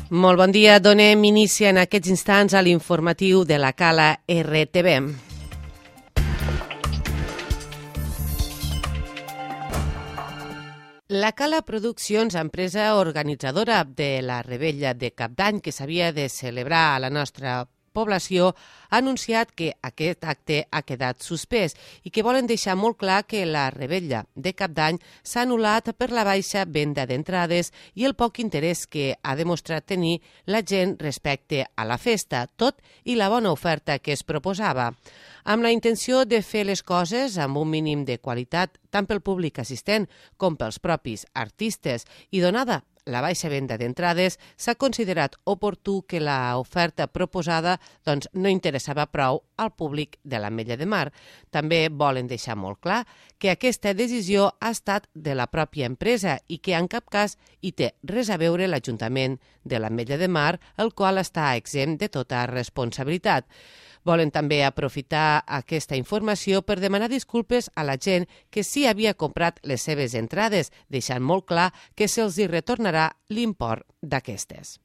Molt bon dia. Donem inici en aquests instants a l'informatiu de la Cala RTV. La Cala Produccions, empresa organitzadora de la Revetlla de Cap d'Any que s'havia de celebrar a la nostra població, ha anunciat que aquest acte ha quedat suspès i que volen deixar molt clar que la Revetlla de Cap d'Any s'ha anul·lat per la baixa venda d'entrades i el poc interès que ha demostrat tenir la gent respecte a la festa, tot i la bona oferta que es proposava. Amb la intenció de fer les coses amb un mínim de qualitat tant pel públic assistent com pels propis artistes i donada la baixa venda d'entrades, s'ha considerat oportú que l'oferta proposada no interessava prou al públic de l'Ametlla de Mar. També volen deixar molt clar que aquesta decisió ha estat de la pròpia empresa i que en cap cas hi té res a veure l'Ajuntament de l'Ametlla de Mar, el qual està exempt de tota responsabilitat. Volen també aprofitar aquesta informació per demanar disculpes a la gent que sí havia comprat les seves entrades, deixant molt clar que se'ls hi retornarà l'import d'aquestes.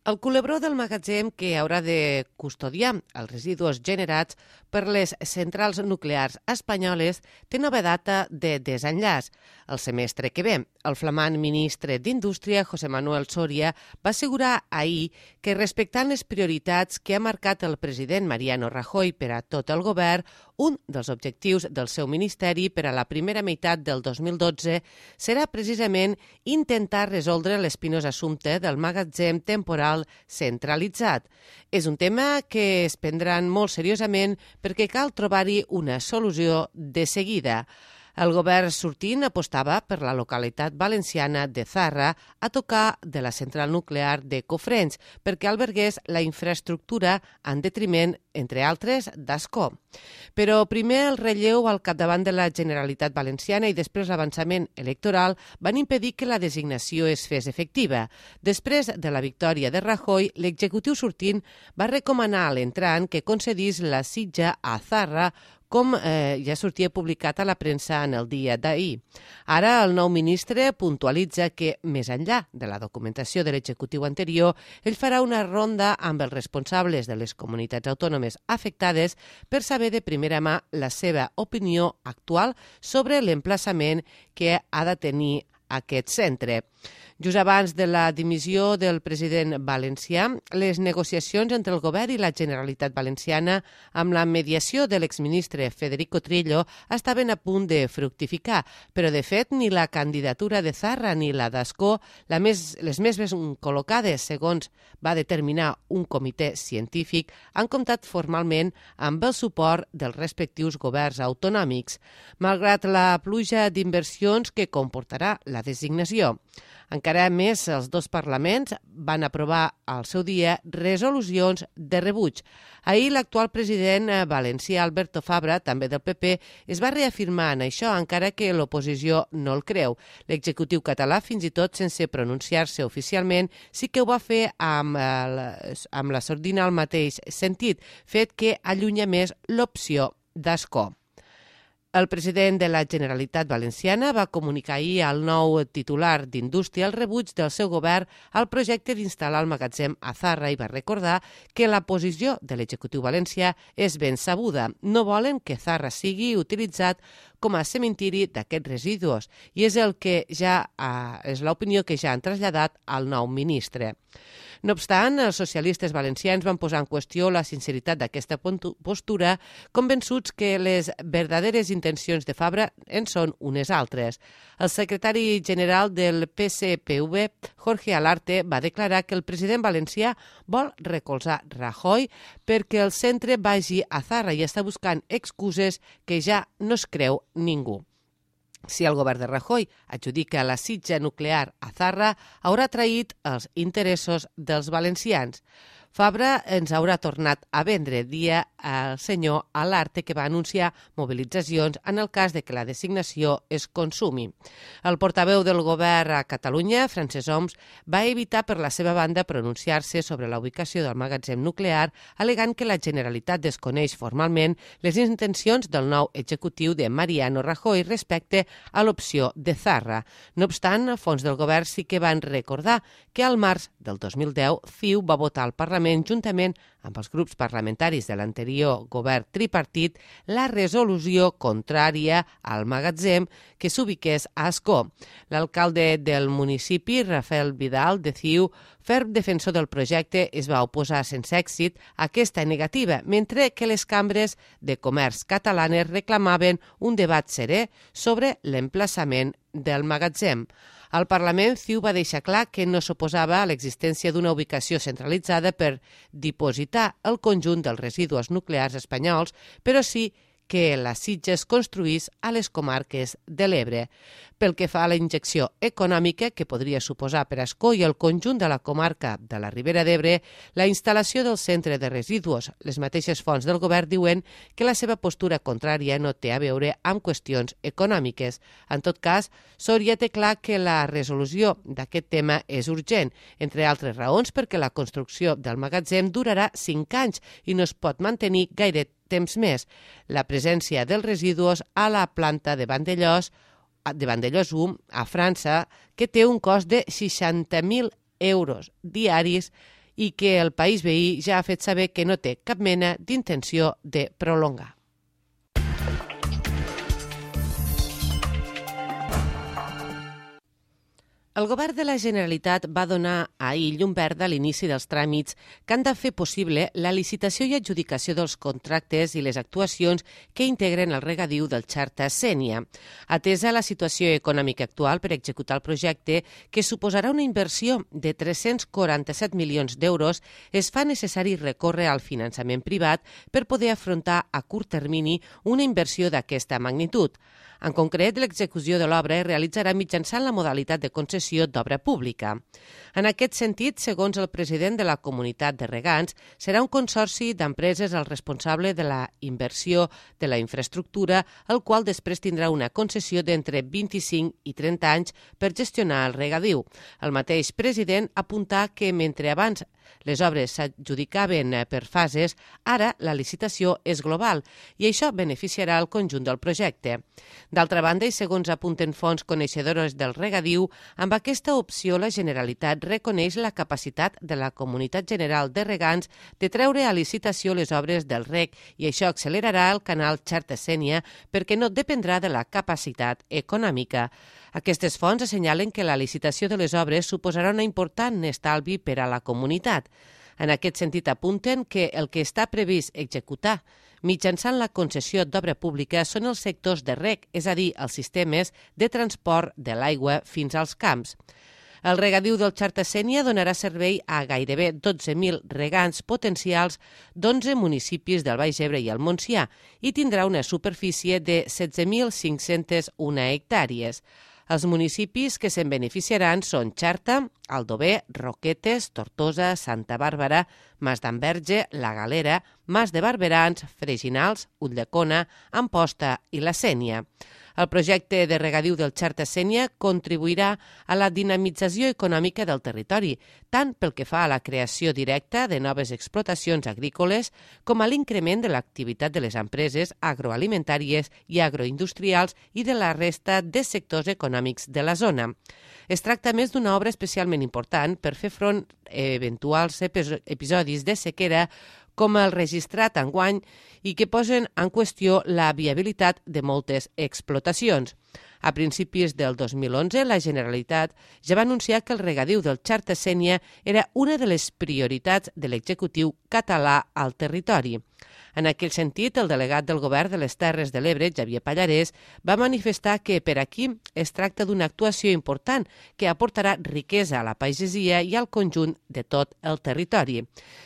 El culebró del magatzem que haurà de custodiar els residus generats per les centrals nuclears espanyoles té nova data de desenllaç. El semestre que ve, el flamant ministre d'Indústria, José Manuel Soria, va assegurar ahir que respectant les prioritats que ha marcat el president Mariano Rajoy per a tot el govern, un dels objectius del seu ministeri per a la primera meitat del 2012 serà precisament intentar resoldre l'espinós assumpte del magatzem temporal centralitzat. És un tema que es prendran molt seriosament perquè cal trobar-hi una solució de seguida. El govern sortint apostava per la localitat valenciana de Zarra a tocar de la central nuclear de Cofrents perquè albergués la infraestructura en detriment, entre altres, d'Ascó. Però primer el relleu al capdavant de la Generalitat Valenciana i després l'avançament electoral van impedir que la designació es fes efectiva. Després de la victòria de Rajoy, l'executiu sortint va recomanar a l'entrant que concedís la sitja a Zarra, com ja sortia publicat a la premsa en el dia d'ahir. Ara el nou ministre puntualitza que, més enllà de la documentació de l'executiu anterior, ell farà una ronda amb els responsables de les comunitats autònomes afectades per saber de primera mà la seva opinió actual sobre l'emplaçament que ha de tenir aquest centre. Just abans de la dimissió del president valencià, les negociacions entre el govern i la Generalitat Valenciana amb la mediació de l'exministre Federico Trillo estaven a punt de fructificar, però de fet ni la candidatura de Zarra ni la d'Ascó, les més ben col·locades segons va determinar un comitè científic, han comptat formalment amb el suport dels respectius governs autonòmics, malgrat la pluja d'inversions que comportarà la designació. Encara més, els dos parlaments van aprovar al seu dia resolucions de rebuig. Ahir l'actual president valencià Alberto Fabra, també del PP, es va reafirmar en això, encara que l'oposició no el creu. L'executiu català, fins i tot sense pronunciar-se oficialment, sí que ho va fer amb la sordina al mateix sentit, fet que allunya més l'opció d'Ascó. El president de la Generalitat Valenciana va comunicar ahir al nou titular d'Indústria el rebuig del seu govern al projecte d'instal·lar el magatzem a Zarra i va recordar que la posició de l'executiu valencià és ben sabuda. No volen que Zarra sigui utilitzat com a cementiri d'aquests residus i és l'opinió que ja han traslladat al nou ministre. No obstant, els socialistes valencians van posar en qüestió la sinceritat d'aquesta postura, convençuts que les verdaderes intencions de Fabra en són unes altres. El secretari general del PSPV, Jorge Alarte, va declarar que el president valencià vol recolzar Rajoy perquè el centre vagi a Zarra i està buscant excuses que ja no es creu ningú. Si el govern de Rajoy adjudica la sitja nuclear a Zarra, haurà traït els interessos dels valencians. Fabra ens haurà tornat a vendre dia al senyor Alarte, que va anunciar mobilitzacions en el cas de que la designació es consumi. El portaveu del govern a Catalunya, Francesc Homs, va evitar per la seva banda pronunciar-se sobre la ubicació del magatzem nuclear, al·legant que la Generalitat desconeix formalment les intencions del nou executiu de Mariano Rajoy respecte a l'opció de Zarra. No obstant, fons del govern sí que van recordar que al març del 2010 CiU va votar al Parlament juntament amb els grups parlamentaris de l'anterior govern tripartit la resolució contrària al magatzem que s'ubiqués a Ascó. L'alcalde del municipi, Rafael Vidal, de CiU, ferm defensor del projecte, es va oposar sense èxit a aquesta negativa, mentre que les cambres de comerç catalanes reclamaven un debat serè sobre l'emplaçament del magatzem. Al Parlament, CiU va deixar clar que no s'oposava a l'existència d'una ubicació centralitzada per dipositar el conjunt dels residus nuclears espanyols, però sí que la Sitges es construís a les comarques de l'Ebre. Pel que fa a la injecció econòmica que podria suposar per Ascó i el conjunt de la comarca de la Ribera d'Ebre, la instal·lació del centre de residus, les mateixes fonts del govern diuen que la seva postura contrària no té a veure amb qüestions econòmiques. En tot cas, Soria té clar que la resolució d'aquest tema és urgent, entre altres raons perquè la construcció del magatzem durarà 5 anys i no es pot mantenir gaire temps més. La presència dels residus a la planta de Vandellòs 1, a França, que té un cost de 60.000 euros diaris i que el país veí ja ha fet saber que no té cap mena d'intenció de prolongar. El govern de la Generalitat va donar ahir llum verda a l'inici dels tràmits que han de fer possible la licitació i adjudicació dels contractes i les actuacions que integren el regadiu del Xarta Sénia. Atesa la situació econòmica actual per executar el projecte, que suposarà una inversió de 347 milions d'euros, es fa necessari recórrer al finançament privat per poder afrontar a curt termini una inversió d'aquesta magnitud. En concret, l'execució de l'obra es realitzarà mitjançant la modalitat de concessió d'obra pública. En aquest sentit, segons el president de la Comunitat de Regants, serà un consorci d'empreses el responsable de la inversió de la infraestructura, el qual després tindrà una concessió d'entre 25 i 30 anys per gestionar el regadiu. El mateix president apuntà que mentre abans les obres s'adjudicaven per fases, ara la licitació és global i això beneficiarà el conjunt del projecte. D'altra banda, i segons apunten fonts coneixedores del regadiu, amb aquesta opció la Generalitat reconeix la capacitat de la Comunitat General de Regants de treure a licitació les obres del reg i això accelerarà el canal Xarta Sénia perquè no dependrà de la capacitat econòmica. Aquestes fonts assenyalen que la licitació de les obres suposarà un important estalvi per a la comunitat. En aquest sentit apunten que el que està previst executar mitjançant la concessió d'obra pública són els sectors de reg, és a dir, els sistemes de transport de l'aigua fins als camps. El regadiu del Xarta Sénia donarà servei a gairebé 12.000 regants potencials d'11 municipis del Baix Ebre i el Montsià i tindrà una superfície de 16.501 hectàrees. Els municipis que se'n beneficiaran són Xarta, Aldover, Roquetes, Tortosa, Santa Bàrbara, Mas d'Enverge, La Galera, Mas de Barberans, Freginals, Ulldecona, Amposta i la Sénia. El projecte de regadiu del Xarta Sénia contribuirà a la dinamització econòmica del territori, tant pel que fa a la creació directa de noves explotacions agrícoles com a l'increment de l'activitat de les empreses agroalimentàries i agroindustrials i de la resta de sectors econòmics de la zona. Es tracta més d'una obra especialment important per fer front a eventuals episodis de sequera com el registrat enguany i que posen en qüestió la viabilitat de moltes explotacions. A principis del 2011, la Generalitat ja va anunciar que el regadiu del Xarta Sénia era una de les prioritats de l'executiu català al territori. En aquell sentit, el delegat del Govern de les Terres de l'Ebre, Xavier Pallarès, va manifestar que per aquí es tracta d'una actuació important que aportarà riquesa a la pagesia i al conjunt de tot el territori.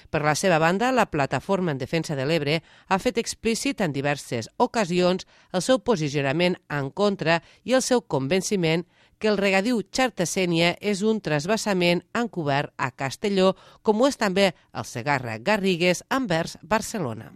Per la seva banda, la Plataforma en Defensa de l'Ebre ha fet explícit en diverses ocasions el seu posicionament en contra i el seu convenciment que el regadiu Xerta-Sénia és un transvasament encobert a Castelló, com ho és també el Segarra-Garrigues envers Barcelona.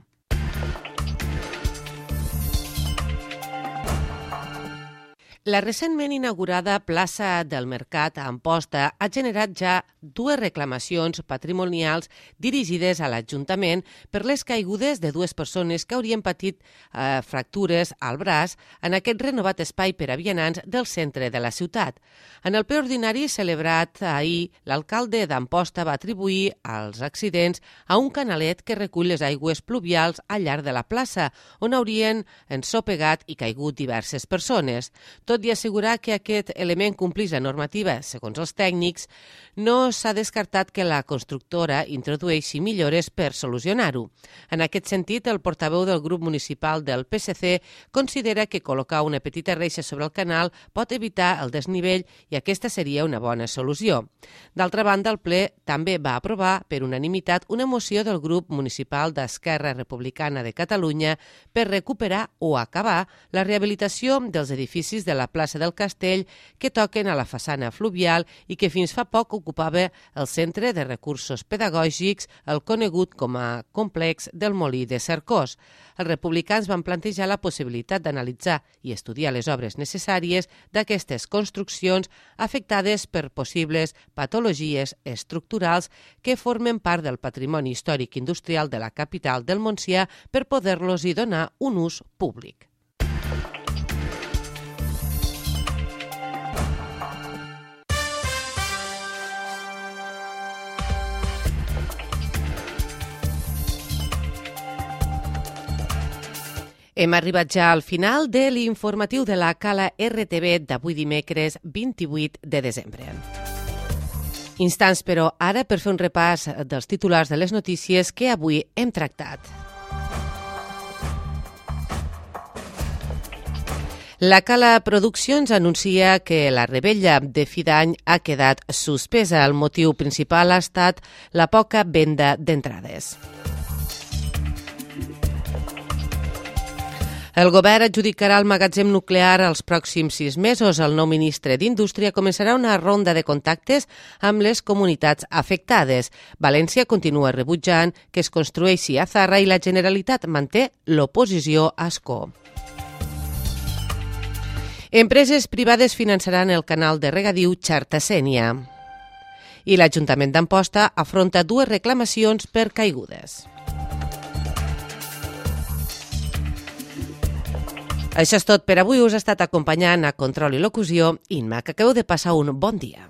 La recentment inaugurada plaça del Mercat a Amposta ha generat ja 2 reclamacions patrimonials dirigides a l'Ajuntament per les caigudes de 2 persones que haurien patit fractures al braç en aquest renovat espai per a vianants del centre de la ciutat. En el ple ordinari celebrat ahir, l'alcalde d'Amposta va atribuir els accidents a un canalet que recull les aigües pluvials al llarg de la plaça, on haurien ensopegat i caigut diverses persones. Tot i assegurar que aquest element complís la normativa, segons els tècnics, no s'ha descartat que la constructora introdueixi millores per solucionar-ho. En aquest sentit, el portaveu del grup municipal del PSC considera que col·locar una petita reixa sobre el canal pot evitar el desnivell i aquesta seria una bona solució. D'altra banda, el ple també va aprovar per unanimitat una moció del grup municipal d'Esquerra Republicana de Catalunya per recuperar o acabar la rehabilitació dels edificis de la plaça del Castell que toquen a la façana fluvial i que fins fa poc ocupava el Centre de Recursos Pedagògics, el conegut com a complex del Molí de Cercós. Els republicans van plantejar la possibilitat d'analitzar i estudiar les obres necessàries d'aquestes construccions afectades per possibles patologies estructurals que formen part del patrimoni històric industrial de la capital del Montsià per poder-los-hi donar un ús públic. Hem arribat ja al final de l'informatiu de la Cala RTV d'avui dimecres 28 de desembre. Instants, però, ara per fer un repàs dels titulars de les notícies que avui hem tractat. La Cala Produccions anuncia que la rebella de fi d'any ha quedat suspesa. El motiu principal ha estat la poca venda d'entrades. El govern adjudicarà el magatzem nuclear els pròxims 6 mesos. El nou ministre d'Indústria començarà una ronda de contactes amb les comunitats afectades. València continua rebutjant que es construeixi a Zarra i la Generalitat manté l'oposició a Ascó. Empreses privades finançaran el canal de regadiu Xerta-Sénia. I l'Ajuntament d'Amposta afronta 2 reclamacions per caigudes. Això és tot per avui. Us ha estat acompanyant a Control i Locució Imma, que acabeu de passar un bon dia.